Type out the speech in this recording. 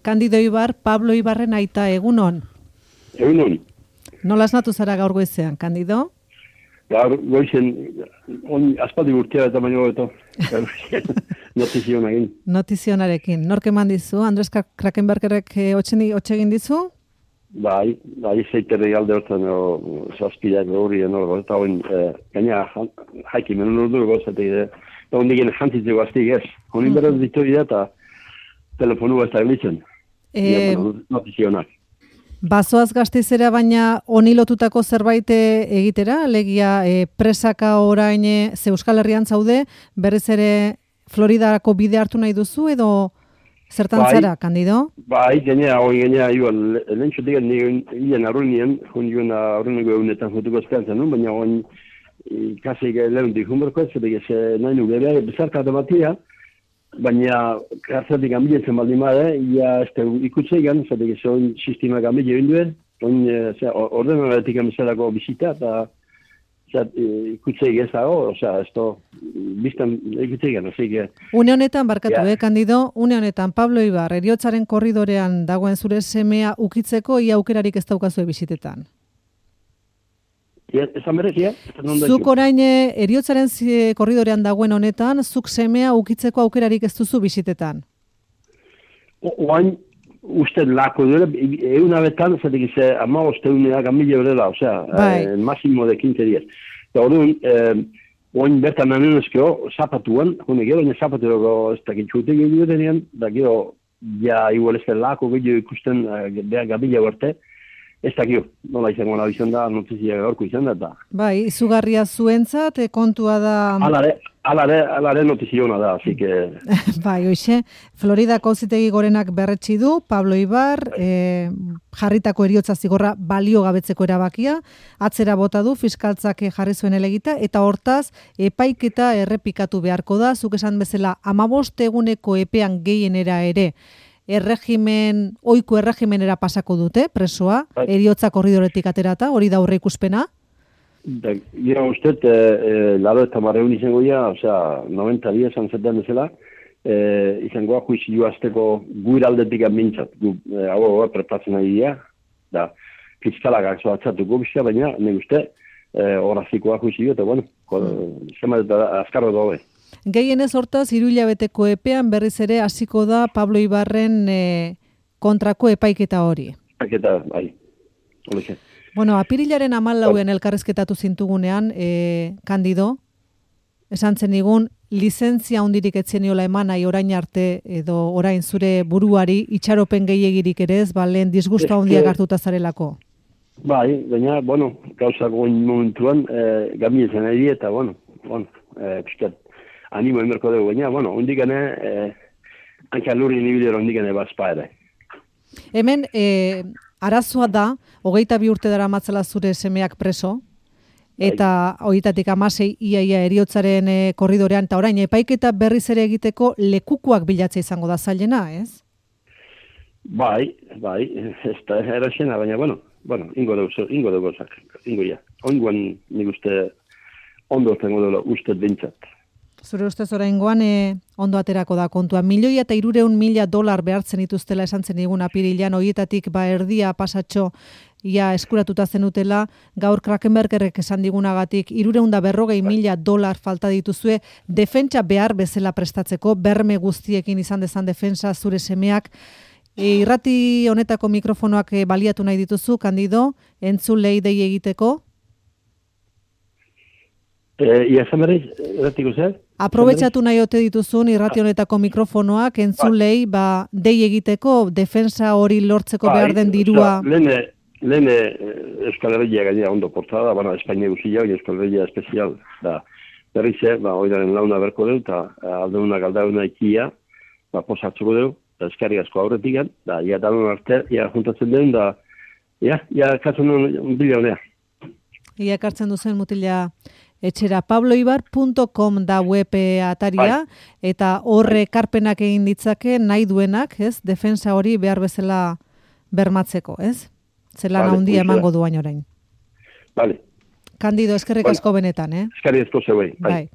Candido Ibar, Pablo Ibarren aita, egunon. Egunon. Nola esnatu zara gaur goizean, Candido? Gaur goizen, aspaldi urtea eta baino eta notizionarekin. Notizionarekin. Nork eman dizu? Andres Krakenbergerrek hotxe egin dizu? Bai, zeiterri alde hortan zazpideak hori, eta hoin, gaina haiki menu nordu gozatek, eta hondik jantzitzeko aztik ez. Honin beraz ditu eta telefonu ez da glitzen. Notizionak. Bazoaz Gasteizera baina honi lotutako zerbait egitera, alegia presaka orain ze Euskal Herrian zaude, berriz ere Floridarako bide hartu nahi duzu edo zertan zara, Candido? Bai, gainea, lehentxotik nien arruinien, joan arruineko egunetan jotuko esperantzan nuen, baina hon kasik lehuntik junberko ez, nahi nu bere bezarkatu batia, baina kartzatik ambiletzen baldin bada, ia ikutzeigan, zatek ez hon sistemak ambile egin duen, ordenaratik amizalako bizita, eta ikutzeik ez dago, biztan ikutzeigan, Une honetan, barkatu, Candido, une honetan, Pablo Ibar, heriotzaren korridorean dagoen zure semea ukitzeko, ia aukerarik ez daukazue bisitetan. Esan berezia? Zuk orain heriotzaren korridorean dagoen honetan, zuk semea ukitzeko aukerarik ez duzu bisitetan. Oain, uste lako duela, egun abetan, zatek ez ama osteuneak amile horrela, máximo de 15 días. Eta orduan, oain bertan nanenezkeo, zapatuan, honek baina zapatuako ez dakitxutek egin denean, da gero, ja igual ez lako gehiago ikusten behar gabila berte, ez dakio, nola izango nahi izan da, notizia gaurko izan da. Bai, izugarria zuentzat, kontua da... Alare notiziona da, así que... Bai, hoxe, Floridako auzitegi gorenak berretsi du, Pablo Ibar, jarritako heriotza zigorra balio gabetzeko erabakia, atzera bota du, fiskaltzak jarri zuen elegita, eta hortaz, epaiketa errepikatu beharko da, zuk esan bezala, 15 eguneko epean gehienera ere, oiko erregimenera pasako dute, presoa, heriotza korridoretik aterata, hori da aurre ikuspena? Gira usted, laro eta marreun izango ya, 90 días anzetan bezala, izangoa juizio azteko guiraldetik amintzat, hau preparatzen ari dira, da, fiskalak akso atzatuko bizka, baina, nahi uste, horazikoa juizio, eta bueno, zema eta azkarro dobe. Gehienez hortaz, 3 hilabeteko epean berriz ere hasiko da Pablo Ibarren kontrako epaiketa hori. Epaiketa, bai. Olexe. Bueno, apirilaren 14 elkarrizketatu zintugunean, Candido, esan zen igun, lizentzia hundirik etzeniola eman nahi orain arte edo orain zure buruari itxaropen gehiegirik ere ez, lehen disgusta hundiak hartuta zarelako. Bai, baina, gauzako momentuan, gamietzen ari eta, piskat, animo emerko dugu, baina, hundikane, hanka lurri nibidero hundikane bazpa ere. Hemen, arazoa da, 22 urte dara matzala zure semeak preso, eta 26 iaia eriotzaren korridorean, eta orain, epaiketa berriz ere egiteko lekukuak bilatzea izango da zailena, ez? Bai, ez da eraxena, baina, ingo dugu gozak, ingo ja. Oingoan nik uste ondo zengo dela uste bintzat. Zure ustez oraingoan ondo aterako da kontua. $1,300,000 behartzen dituztela esan zen digun apirilean, horietatik erdia pasatxo ia eskuratuta zenutela, gaur Krakenbergerrek esan digunagatik $340,000 falta dituzue, defentsa behar bezala prestatzeko, berme guztiekin izan dezan defensa zure semeak. Irrati honetako mikrofonoak baliatu nahi dituzu, Candido, entzulei dei egiteko? Ia zamerreiz, erratiko zer? Aprobetxatu nahi ote dituzun irrati honetako mikrofonoak entzulei dei egiteko, defensa hori lortzeko behar den dirua. Lehen Euskal Herria gainera ondo portada, Espainia guzia, Euskal Herria espezial, da berrize, oidaren launa berko deu, eta aldeunak aldauna ikia, posatzuko deu, eta eskarri asko aurretik, da, ia danon arte, ia juntatzen duen, da, ia kartzen duen bila honea. Ia kartzen duzen mutila etxera pabloibar.com da web ataria, eta horre karpenak egin ditzake nahi duenak, ez? Defensa hori behar bezala bermatzeko, ez? Zelan handia emango duain orain. Vale. Candido, eskerrik asko benetan, Eskerrik asko zeuei. Bai.